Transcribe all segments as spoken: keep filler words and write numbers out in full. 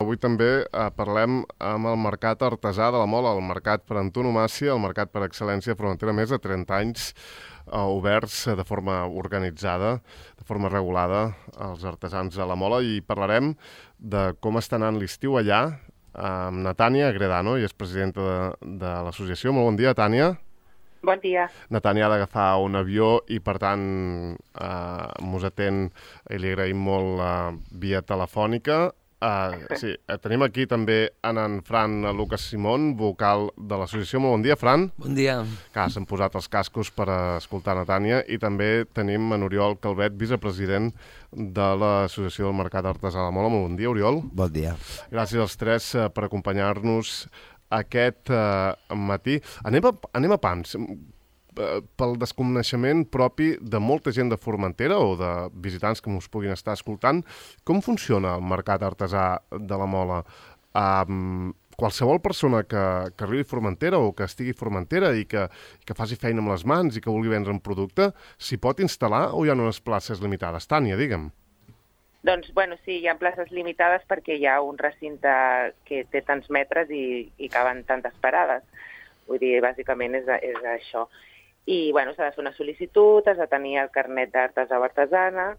avui també eh, parlem amb el mercat artesà de la Mola, el mercat per antonomàsia, el mercat per excel·lència frontera, més de trenta anys eh, oberts de forma organitzada, de forma regulada, als artesans de la Mola, i parlarem de com està anant l'estiu allà, amb na Tània Agredano, i és presidenta de, de l'associació. Molt bon dia, Tània. Bon dia. Na Tània ha d'agafar un avió i, per tant, eh, mos atén i li agraïm molt eh, via telefònica. Eh, sí, eh, tenim aquí també en Fran Lucas Simón, vocal de l'associació. Molt bon dia, Fran. Bon dia. Que s'han posat els cascos per escoltar na Tània. I també tenim en Oriol Calvet, vicepresident de l'Associació del Mercat Artesà de la Mola. Molt bon dia, Oriol. Bon dia. Gràcies als tres eh, per acompanyar-nos aquest eh, matí. Anem a, anem a pams. Pel desconeixement propi de molta gent de Formentera o de visitants que ens puguin estar escoltant, com funciona el mercat artesà de la Mola? Um, qualsevol persona que, que arribi a Formentera o que estigui a Formentera i que, que faci feina amb les mans i que vulgui vendre un producte, s'hi pot instal·lar o hi ha unes places limitades? Tània, digue'm. Doncs, bueno, sí, hi ha places limitades perquè hi ha un recinte que té tants metres i, i caben tantes parades. Vull dir, bàsicament és, és això. I, bueno, s'ha de fer una sol·licitud, has de tenir el carnet d'artesà o artesana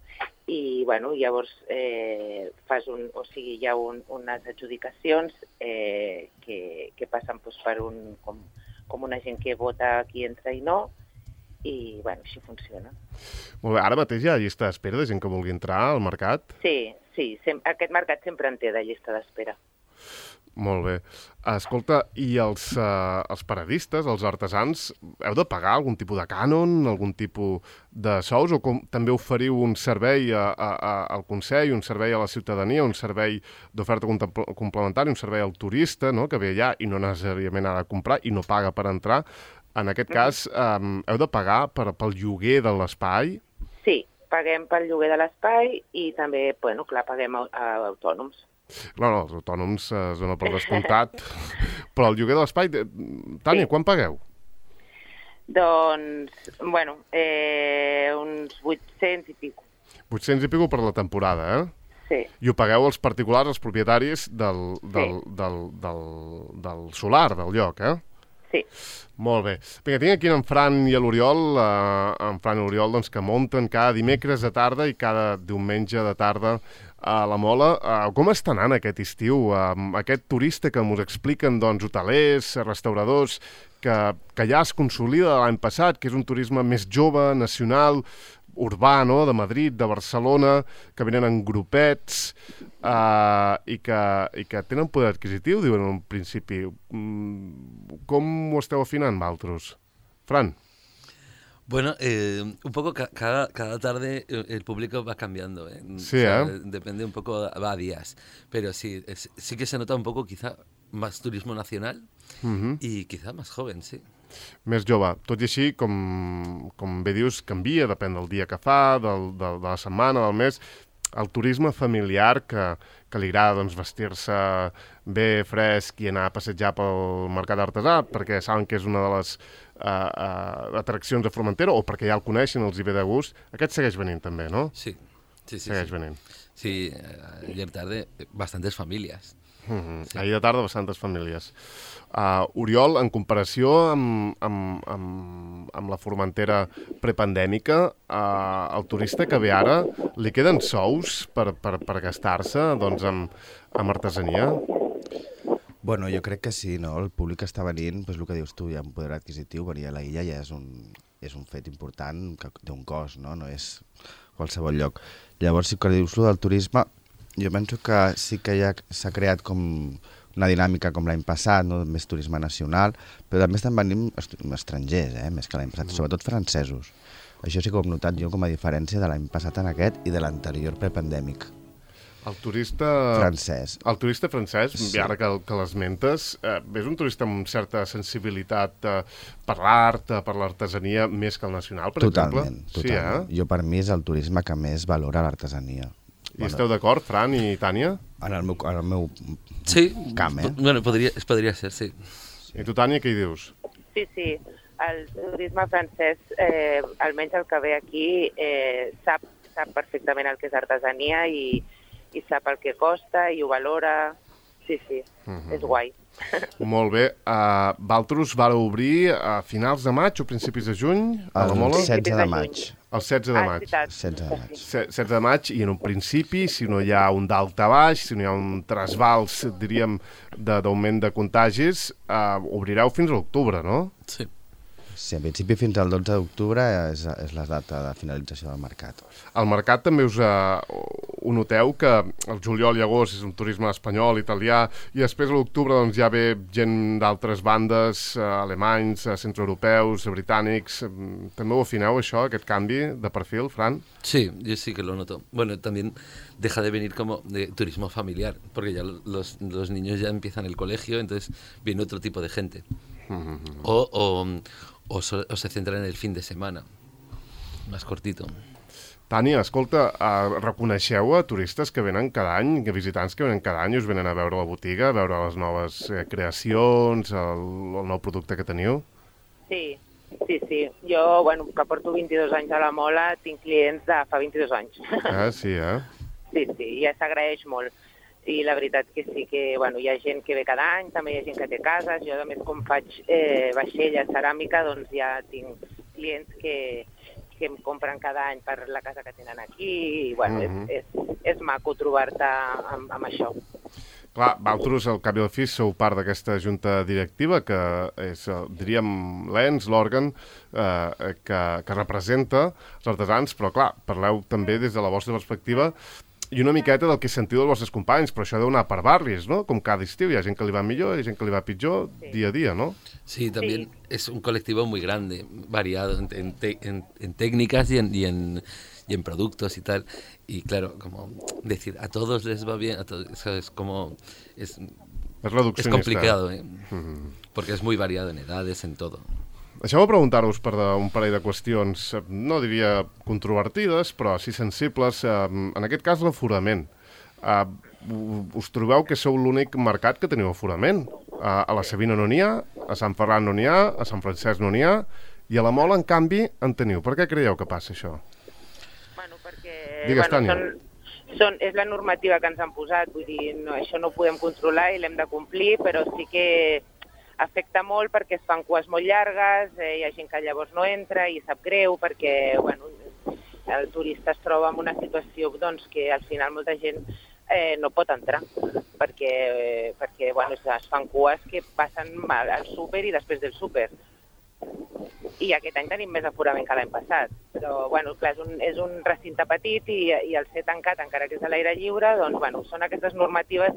i, bueno, llavors eh, fas un, o sigui, hi ha un, unes adjudicacions eh, que, que passen doncs, per un, com, com una gent que vota qui entra i no, i, bueno, així funciona. Molt bé, ara mateix hi ha llista d'espera de gent que vulgui entrar al mercat? Sí, sí, sem- aquest mercat sempre en té de llista d'espera. Molt bé. Escolta, i els, uh, els paradistes, els artesans, heu de pagar algun tipus de cànon, algun tipus de sous, o com, també oferiu un servei a, a, a, al Consell, un servei a la ciutadania, un servei d'oferta complementària, un servei al turista, no?, que ve allà i no necessàriament ha de comprar i no paga per entrar. En aquest cas, um, heu de pagar per, pel lloguer de l'espai? Sí, paguem pel lloguer de l'espai i també, bueno, clar, paguem a, a autònoms. No, no, els autònoms eh, es dona per descomptat, però el lloguer de l'espai... Tània, sí. Quan pagueu? Doncs, bueno, eh, uns vuit-cents i pico. vuit-cents i pico per la temporada, eh? Sí. I ho pagueu els particulars, els propietaris del, del, Sí. del, del, del solar, del lloc, eh? Sí. Molt bé. Vinga, tinc aquí en Fran i l'Oriol, eh, en Fran i l'Oriol, doncs, que munten cada dimecres de tarda i cada diumenge de tarda a la Mola. Uh, com està anant aquest estiu? Uh, aquest turista que ens expliquen, doncs, hotelers, restauradors, que, que ja es consolida l'any passat, que és un turisme més jove, nacional, urbà, no?, de Madrid, de Barcelona, que venen en grupets uh, i, que, i que tenen poder adquisitiu, diuen en un principi. Mm, com ho esteu afinant, vosaltres? Fran? Bueno, eh, un poco ca cada, cada tarde el público va cambiando, ¿eh? Sí, o sea, ¿eh? Depende un poco, va a días. Pero sí, es, sí que se nota un poco quizá más turismo nacional Uh-huh. y quizá más joven, sí. Més jove. Tot i així, com, com bé dius, canvia, depèn del dia que fa, del, del, de la setmana, del mes. El turisme familiar que, que li agrada, doncs, vestir-se bé, fresc i anar a passejar pel mercat artesà perquè saben que és una de les uh, uh, atraccions de Formentera o perquè ja el coneixen, els hi ve de gust. Aquest segueix venint també, no? Sí, sí, sí. Segueix sí. venint. Sí, ayer tarde bastantes familias. Uh-huh. Sí. Ahir de tarda bastantes famílies. Uh, Oriol, en comparació amb, amb, amb, amb la Formentera prepandèmica, uh, el turista que ve ara, li queden sous per, per, per gastar-se, doncs, amb, amb artesania? Bueno, jo crec que sí, no? El públic està venint, doncs el que dius tu, hi ha un poder adquisitiu, venir a la illa ja és un, és un fet important que té un cost, no? No és qualsevol lloc. Llavors, si que dius tu del turisme, jo penso que sí que ja s'ha creat com una dinàmica com l'any passat, no? Més turisme nacional, però també estan venint estrangers, eh? Més que l'any passat, mm. sobretot francesos. Això sí que ho hem notat jo com a diferència de l'any passat en aquest i de l'anterior prepandèmic. El turista... Francès. El turista francès, Sí. i ara que, que l'esmentes, eh, és un turista amb certa sensibilitat eh, per l'art, eh, per l'artesania, més que el nacional, per totalment, exemple? Totalment, Sí, eh? Jo per mi és el turisme que més valora l'artesania. I esteu d'acord, Fran i Tània? En el meu, en el meu Sí, camp, eh? bueno, podría, podría ser, sí. I tu, Tània, què hi dius? Sí, sí. El turisme francès, eh, almenys el que ve aquí, eh, sap, sap perfectament el que és artesania i, i sap el que costa i ho valora. sí, sí, uh-huh. És guai. Molt bé. Uh, Valtros va obrir a finals de maig o principis de juny? A la Mola? El setze de maig. El setze de ah, maig. setze de maig. setze de maig, i en un principi, si no hi ha un dalt a baix, si no hi ha un trasbals, diríem, d'augment de, de contagis, uh, obrireu fins a l'octubre, no? Sí. Sí, en principi fins al dotze d'octubre és, és la data de finalització del mercat. Al mercat també us uh, ho noteu que el juliol i agost és un turisme espanyol, italià, i després a l'octubre doncs, ja ve gent d'altres bandes, uh, alemanys, uh, centroeuropeus, britànics. També ho afineu, això, aquest canvi de perfil, Fran? Sí, yo sí que lo noto. Bueno, también deja de venir como de turismo familiar, porque ya los, los niños ya empiezan el colegio, entonces viene otro tipo de gente. Mm-hmm. O, o, o, so, o se centra en el fin de semana, más cortito. Tània, escolta, uh, reconeixeu a turistes que venen cada any, que visitants que venen cada any i us venen a veure la botiga, a veure les noves eh, creacions, el, el nou producte que teniu? Sí, sí, sí. Jo, bueno, que porto vint-i-dos anys a la Mola, tinc clients de fa vint-i-dos anys. Ah, sí, eh? Sí, sí, ja s'agraeix molt. I la veritat que sí que, bueno, hi ha gent que ve cada any, també hi ha gent que té cases. Jo, a més, com faig eh, vaixella, ceràmica, doncs ja tinc clients que, que em compren cada any per la casa que tenen aquí. I, bueno, uh-huh. és, és, és maco trobar-te amb, amb això. Clar, vosaltres, al cap i al fi, sou part d'aquesta junta directiva, que és, diríem, l'ens, l'òrgan eh, que, que representa els artesans, però, clar, parleu també des de la vostra perspectiva i una miqueta del que sentiu dels vostres companys, però això deu anar per barris, ¿no? Com cada estiu, hi ha gent que li va millor, hi ha gent que li va pitjor, sí. Día a día, ¿no? Sí, también sí. Es un colectivo muy grande, variado en, en, en, en técnicas y en, y, en, y en productos y tal. Y claro, como decir, a todos les va bien, a todos, eso es como... Es, es, es complicado, ¿eh? Uh-huh. Porque es muy variado en edades, en todo. Deixeu-me preguntar-vos per un parell de qüestions, no diria controvertides, però sí sensibles. En aquest cas, l'aforament. Us trobeu que sou l'únic mercat que teniu aforament? A la Savina no n'hi ha, a Sant Ferran no n'hi ha, a Sant Francesc no n'hi ha, i a la Mola, en canvi, en teniu. Per què creieu que passa això? Bueno, perquè... Digues, bueno, Tània. Són, són, és la normativa que ens han posat, vull dir, no, això no ho podem controlar i l'hem de complir, però sí que afecta molt perquè es fan cues molt llargues, eh, hi ha gent que llavors no entra i sap greu perquè bueno, el turista es troba en una situació doncs, que al final molta gent eh, no pot entrar perquè, eh, perquè bueno, es fan cues que passen mal al súper i després del súper. I aquest any tenim més aforament que l'any passat. Però, bueno, clar, és un, és un recinte petit i, i el ser tancat, encara que és a l'aire lliure, doncs, bueno, són aquestes normatives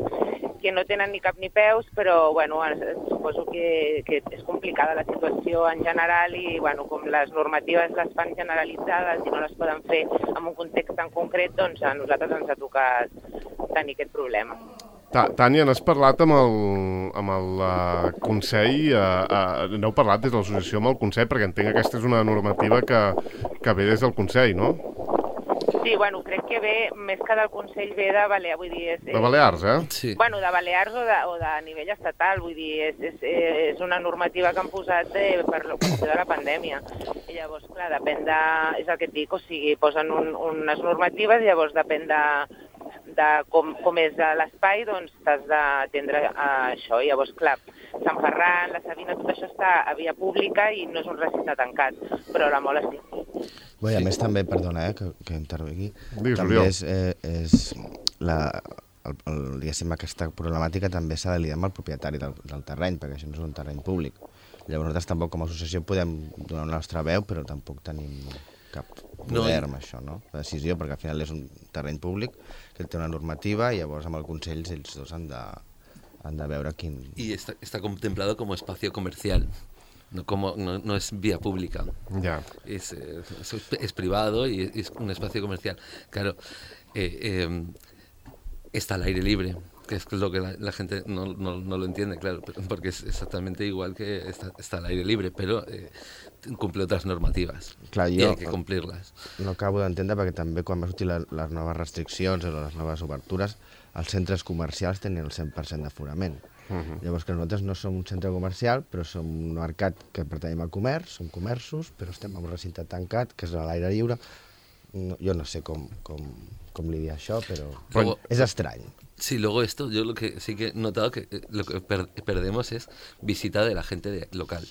que no tenen ni cap ni peus, però, bueno, suposo que, que és complicada la situació en general i, bueno, com les normatives les fan generalitzades i no les poden fer en un context tan concret, doncs a nosaltres ens ha tocat tenir aquest problema. Tània, n'has parlat amb el, amb el uh, Consell, uh, uh, n'heu parlat des de l'associació amb el Consell, perquè entenc que aquesta és una normativa que, que ve des del Consell, no? Sí, bueno, crec que ve, més que del Consell, ve de Balears, vull dir... És, de Balears, eh? Sí. Bueno, de Balears o de, o de nivell estatal, vull dir, és, és, és una normativa que han posat de, per la qüestió de la pandèmia. I llavors, clar, depèn de... És el que et dic, o sigui, posen un, unes normatives i llavors depèn de... de com, com és l'espai, doncs t'has d'atendre a això. I llavors, clar, Sant Ferran, la Savina, tot això està a via pública i no és un recinte tancat, però la Mola sí. Bé, a més també, perdona, eh, que, que intervengui, Digues, també és, eh, és la, el, el, diguéssim, aquesta problemàtica també s'ha de lidiar amb el propietari del, del terreny, perquè això no és un terreny públic. Llavors nosaltres tampoc com a associació podem donar la nostra veu, però tampoc tenim cap poder no, amb això, no? La decisió, perquè al final és un terreny públic que té una normativa i llavors amb el Consell ells dos han de, han de veure quin... Y está, está contemplado como espacio comercial, no, como, no, no es vía pública. Ya. Es, es, es privado y es un espacio comercial. Claro, eh, eh, está al aire libre, que es lo que la, la gente no, no, no lo entiende, claro, porque es exactamente igual que está, está al aire libre, pero eh, cumple otras normativas. Clar, jo i hay que complirles. No acabo d'entendre perquè també quan va sortir la, les noves restriccions o les noves obertures, els centres comercials tenien el cent per cent d'aforament. Uh-huh. Llavors que nosaltres no som un centre comercial, però som un mercat que pertanyem al comerç, som comerços, però estem en un recinte tancat, que és a l'aire lliure. No, jo no sé com, com, com lidiar això, però Luego, és estrany. Sí, luego esto, yo lo que sí que he notado que eh, lo que per perdemos es visita de la gente de, local.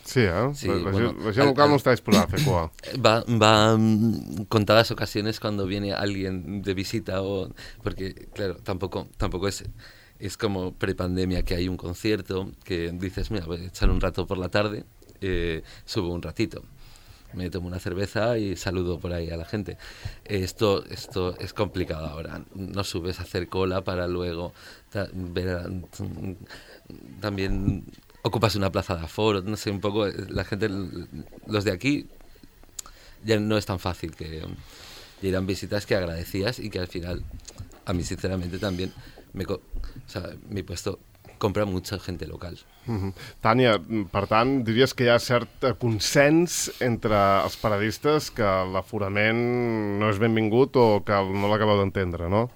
Sí, eh? Sí, la, la, bueno, gent, la gent local al, no està disposada a fer cua. Va, va mm, contadas ocasiones cuando viene alguien de visita o porque claro, tampoco tampoco es es como prepandemia que hay un concierto que dices, mira, voy a echar un rato por la tarde, eh, subo un ratito. Me tomo una cerveza y saludo por ahí a la gente. Esto esto es complicado ahora. No subes a hacer cola para luego ta, ver a, también ocupas una plaza de aforo, no sé, un poco la gente, los de aquí ya no es tan fácil que irán visitas que agradecías y que al final a mí sinceramente también me, o sea, mi puesto compra mucha gente local. Mm-hmm. Tània, per tant, diries que hi ha cert consens entre els paradistes que l'aforament no és benvingut o que no l'acabeu d'entendre, no?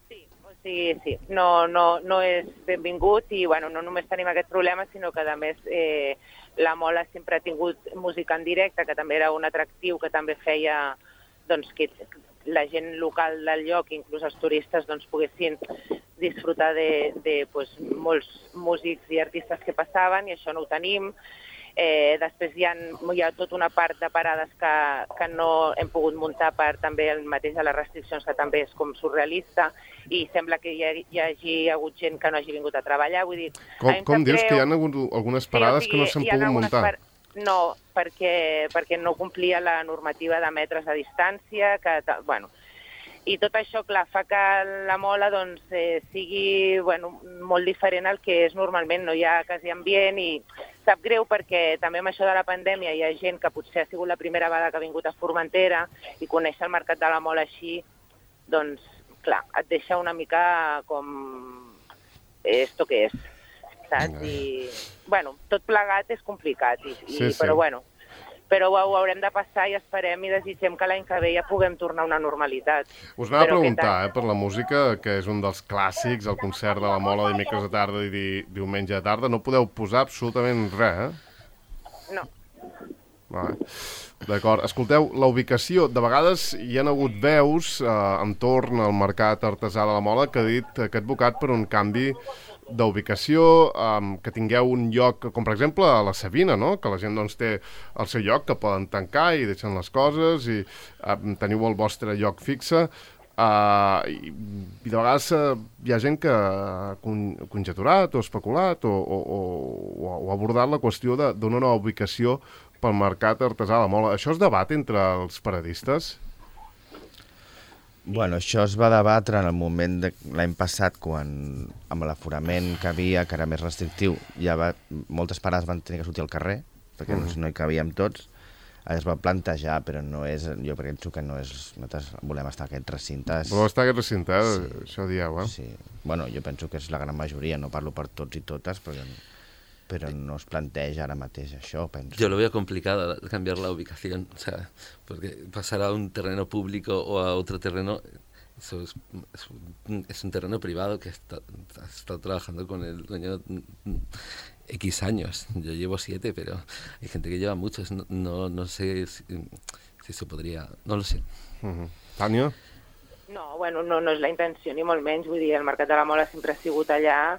Sí, o sigui, sí, no, no, no és benvingut i bueno, no només tenim aquest problema, sinó que a més eh, la Mola sempre ha tingut música en directe, que també era un atractiu que també feia doncs, que la gent local del lloc, inclús els turistes, doncs, poguessin disfrutar de, de pues, molts músics i artistes que passaven, i això no ho tenim. Eh, després hi ha, hi ha tota una part de parades que, que no hem pogut muntar per també el mateix de les restriccions, que també és com surrealista, i sembla que hi, ha, hi hagi hagut gent que no hagi vingut a treballar. Vull dir, com com dius creu... que hi ha hagut algunes parades sí, o sigui, que no s'han pogut muntar? Par... No, perquè, perquè no complia la normativa de metres de distància, que, bueno, i tot això, clar, fa que la Mola doncs, eh, sigui bueno, molt diferent al que és normalment, no hi ha quasi ambient i sap greu perquè també amb això de la pandèmia hi ha gent que potser ha sigut la primera vegada que ha vingut a Formentera i conèixer el mercat de la Mola així, doncs, clar, et deixa una mica com esto que és, saps? I, bueno, tot plegat és complicat, i, i, sí, sí. però bueno, però ho haurem de passar i esperem i desitgem que l'any que ve ja puguem tornar a una normalitat. Us anava a preguntar, eh, per la música, que és un dels clàssics, el concert de la Mola dimecres de tarda i di diumenge de tarda, no podeu posar absolutament res, eh? No. Vale. D'acord. Escolteu, la ubicació, de vegades hi ha hagut veus eh, entorn al mercat artesà de la Mola que ha dit que ha advocat per un canvi d'ubicació, um, que tingueu un lloc, com per exemple a la Sabina, no? Que la gent doncs, té el seu lloc, que poden tancar i deixen les coses i um, teniu el vostre lloc fixe. Uh, i, I de vegades uh, hi ha gent que ha con conjecturat o especulat o, o, o, o ha abordat la qüestió d'una nova ubicació pel mercat artesà de la Mola. Això es debat entre els paradistes? Bueno, això es va debatre en el moment de l'any passat, quan amb l'aforament que havia, que era més restrictiu, ja va, moltes parades van tenir que sortir al carrer, perquè mm. no hi cabíem tots. Es va plantejar, però no és, jo penso que no és, nosaltres volem estar en aquests recintes. Volem estar en aquests recintes, sí. Això dieu, eh? Sí, bueno, jo penso que és la gran majoria, no parlo per tots i totes, però, pero no os planteja ara mateix això, penso. Yo lo veo complicado cambiar la ubicación, o sea, porque pasar a un terreno público o a otro terreno, eso es, es, un, es un terreno privado que está, ha estado trabajando con el dueño X años. Yo llevo siete, pero hay gente que lleva muchos. No, no, no sé si, si se podría... No lo sé. Uh-huh. Tània? No, bueno, no, no és la intenció, ni molt menys. Vull dir, el Mercat de la Mola sempre ha sigut allà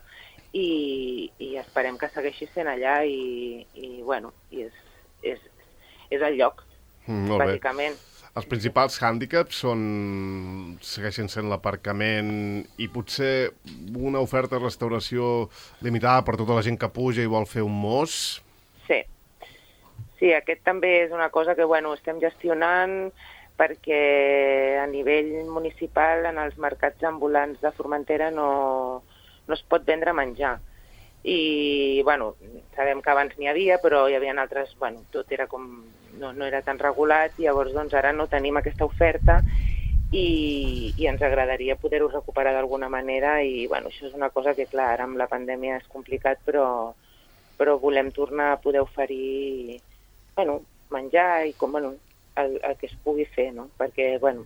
i, i esperem que segueixi sent allà i, i bueno, i és, és, és el lloc, mm, bàsicament. Els principals hàndicaps són, segueixen sent l'aparcament i potser una oferta de restauració limitada per tota la gent que puja i vol fer un mos? Sí, sí, aquest també és una cosa que bueno, estem gestionant perquè a nivell municipal en els mercats ambulants de Formentera no, no es pot vendre menjar. I, bueno, sabem que abans n'hi havia, però hi havia altres, bueno, tot era com... No, no era tan regulat, i llavors doncs, ara no tenim aquesta oferta i, i ens agradaria poder-ho recuperar d'alguna manera i bueno, això és una cosa que clar, ara amb la pandèmia és complicat, però, però volem tornar a poder oferir bueno, menjar i com, bueno, el, el que es pugui fer, no? Perquè, bueno,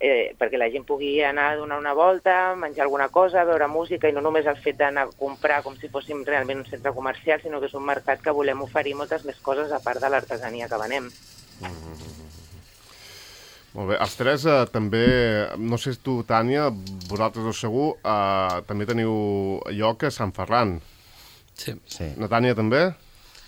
eh, perquè la gent pugui anar a donar una volta, menjar alguna cosa, veure música i no només el fet d'anar a comprar com si fóssim realment un centre comercial, sinó que és un mercat que volem oferir moltes més coses a part de l'artesania que venem. Molt bé. Els tres eh, també, no sé si tu, Tània, vosaltres ho segur, eh, també teniu lloc a Sant Ferran. Sí. Sí, Na Tània també?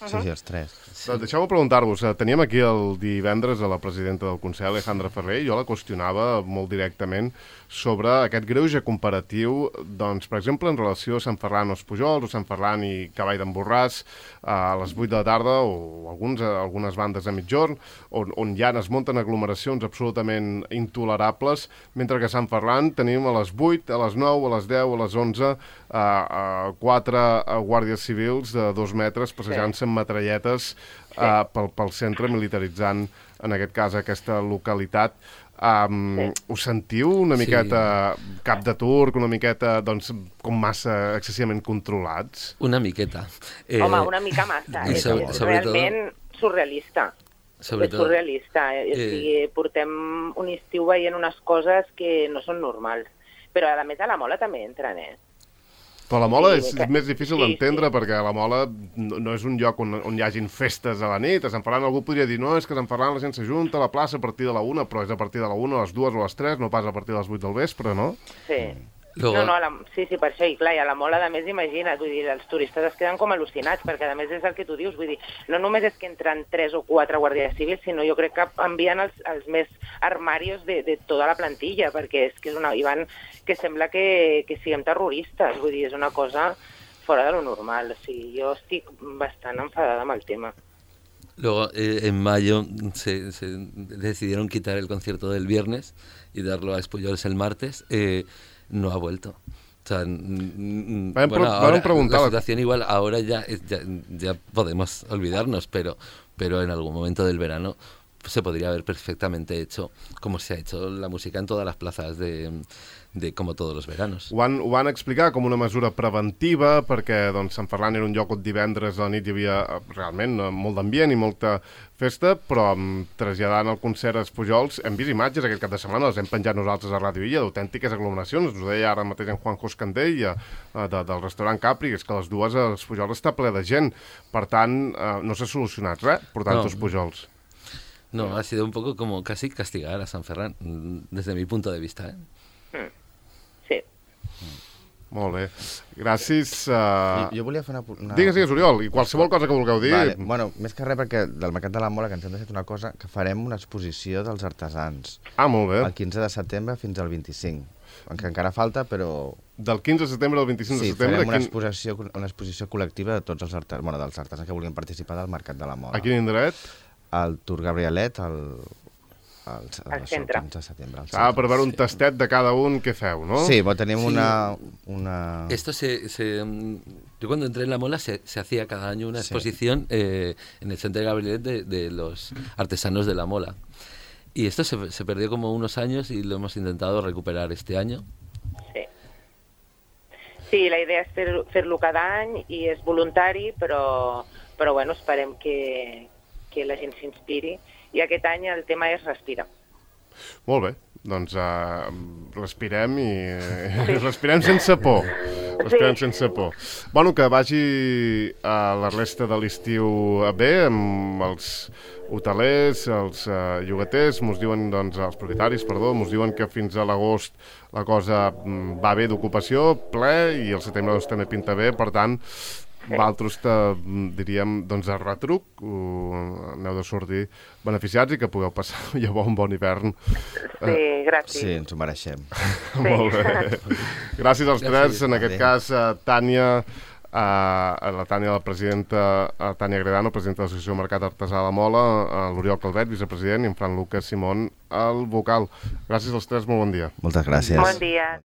sí, sí, els tres. Doncs deixeu-me preguntar-vos, eh, teníem aquí el divendres a la presidenta del Consell, Alejandra Ferrer, i jo la qüestionava molt directament sobre aquest greuge comparatiu, doncs, per exemple, en relació a Sant Ferran o els Pujols, o Sant Ferran i Cavall d'en Borràs, eh, a les vuit de la tarda, o alguns, eh, algunes bandes a mitjorn, on, on ja es munten aglomeracions absolutament intolerables, mentre que a Sant Ferran tenim a les vuit, a les nou, a les deu, a les onze, eh, eh, quatre eh, guàrdies civils de dos metres passejant-se amb metralletes Uh, pel, pel centre, militaritzant, en aquest cas, aquesta localitat. Um, sí. Us sentiu una miqueta sí. cap de turc, una miqueta, doncs, com massa excessivament controlats? Una miqueta. Eh, Home, una mica massa. És, sobre, és realment tot, surrealista. Sobretot, és surrealista. Eh? O sigui, portem un estiu veient unes coses que no són normals. Però, a més, a la Mola també entren, eh? Però la Mola sí, és que... més difícil sí, d'entendre, sí. perquè la Mola no, no és un lloc on, on hi hagin festes a la nit. A Sant Ferran algú podria dir, no, és que a Sant Ferran la gent s'ajunta a la plaça a partir de la una, però és a partir de la una, a les dues o a les tres, no pas a partir de les vuit del vespre, no? Sí. Luego... No, no, la... sí, sí, per això, i clar, i a la Mola, a més, imagina't, vull dir, els turistes es queden com al·lucinats, perquè a més és el que tu dius, vull dir, no només és que entren tres o quatre guàrdies civils, sinó jo crec que envien els, els més armarios de, de tota la plantilla, perquè és que és una... I van, que sembla que, que siguem terroristes, vull dir, és una cosa fora de lo normal, o sigui, jo estic bastant enfadada amb el tema. Luego, eh, en mayo se, se decidieron quitar el concierto del viernes y darlo a Espullols el martes. Eh, no ha vuelto. O sea, bueno, bueno, ahora, la situación igual ahora ya, ya, ya podemos olvidarnos, pero, pero en algún momento del verano se podría haber perfectamente hecho como se ha hecho la música en todas las plazas de, de como todos los veranos. Ho van, ho van explicar com una mesura preventiva perquè doncs, Sant Ferran era un lloc on divendres a la nit hi havia realment molt d'ambient i molta festa, però traslladant el concert als Pujols hem vist imatges aquest cap de setmana, les hem penjat nosaltres a Ràdio Illa, d'autèntiques aglomeracions, ens ho deia ara mateix en Juanjo Escandell de, del restaurant Capri, que és que les dues als Pujols està ple de gent, per tant no s'ha solucionat res portant-ho als Pujols. No, ha sido un poco como casi castigar a San Ferran, desde mi punto de vista, ¿eh? Mm. Sí. Molt bé. Gràcies. Uh... Jo, jo volia fer una... una... Digues, digues, Oriol, i qualsevol cosa que vulgueu dir... Vale. Bueno, més que res perquè del Mercat de la Mola que ens hem deixat una cosa, que farem una exposició dels artesans. Ah, molt bé. El quinze de setembre fins al vint-i-cinc. Que encara falta, però... Del quinze de setembre al vint-i-cinc sí, de setembre... Sí, farem una, quin... exposició, una exposició col·lectiva de tots els artesans, bueno, dels artesans que vulguin participar del Mercat de la Mola. A quin indret? Al Tour Gabrielet, al... al, al centre. quinze de setembre. Ah, per veure un tastet de cada un que feu, ¿no? Sí, bueno, tenim sí. una, una... Esto se, se... Yo cuando entré en la Mola se, se hacía cada año una exposición sí. eh, en el Centre Gabrielet de, de los artesanos de la Mola. Y esto se, se perdió como unos años y lo hemos intentado recuperar este año. Sí. Sí, la idea és fer-lo fer cada any i és voluntari, però, però bueno, esperem que, que la gent s'inspiri. I aquest any el tema és respira. Molt bé, doncs uh, respirem i sí. respirem sense por. Respirem sí. sense por. Bueno, que vagi a la resta de l'estiu bé, amb els hotelers, els uh, llogaters, mos diuen, doncs, els propietaris, perdó, mos diuen que fins a l'agost la cosa va bé d'ocupació, ple, i el setembre doncs, també pinta bé, per tant, vosaltres, diríem, doncs, a retruc, uh, aneu de sortir beneficiats i que pugueu passar llavors un bon hivern. Sí, gràcies. Sí, ens ho mereixem. Sí. Molt bé. Gràcies als tres, en aquest cas, a Tània, a la Tània, la presidenta, a Tània Gredano, presidenta de l'Associació Mercat Artesà de la Mola, a l'Oriol Calvet, vicepresident, i en Fran Lucas Simón, el vocal. Gràcies als tres, molt bon dia. Moltes gràcies. Bon dia.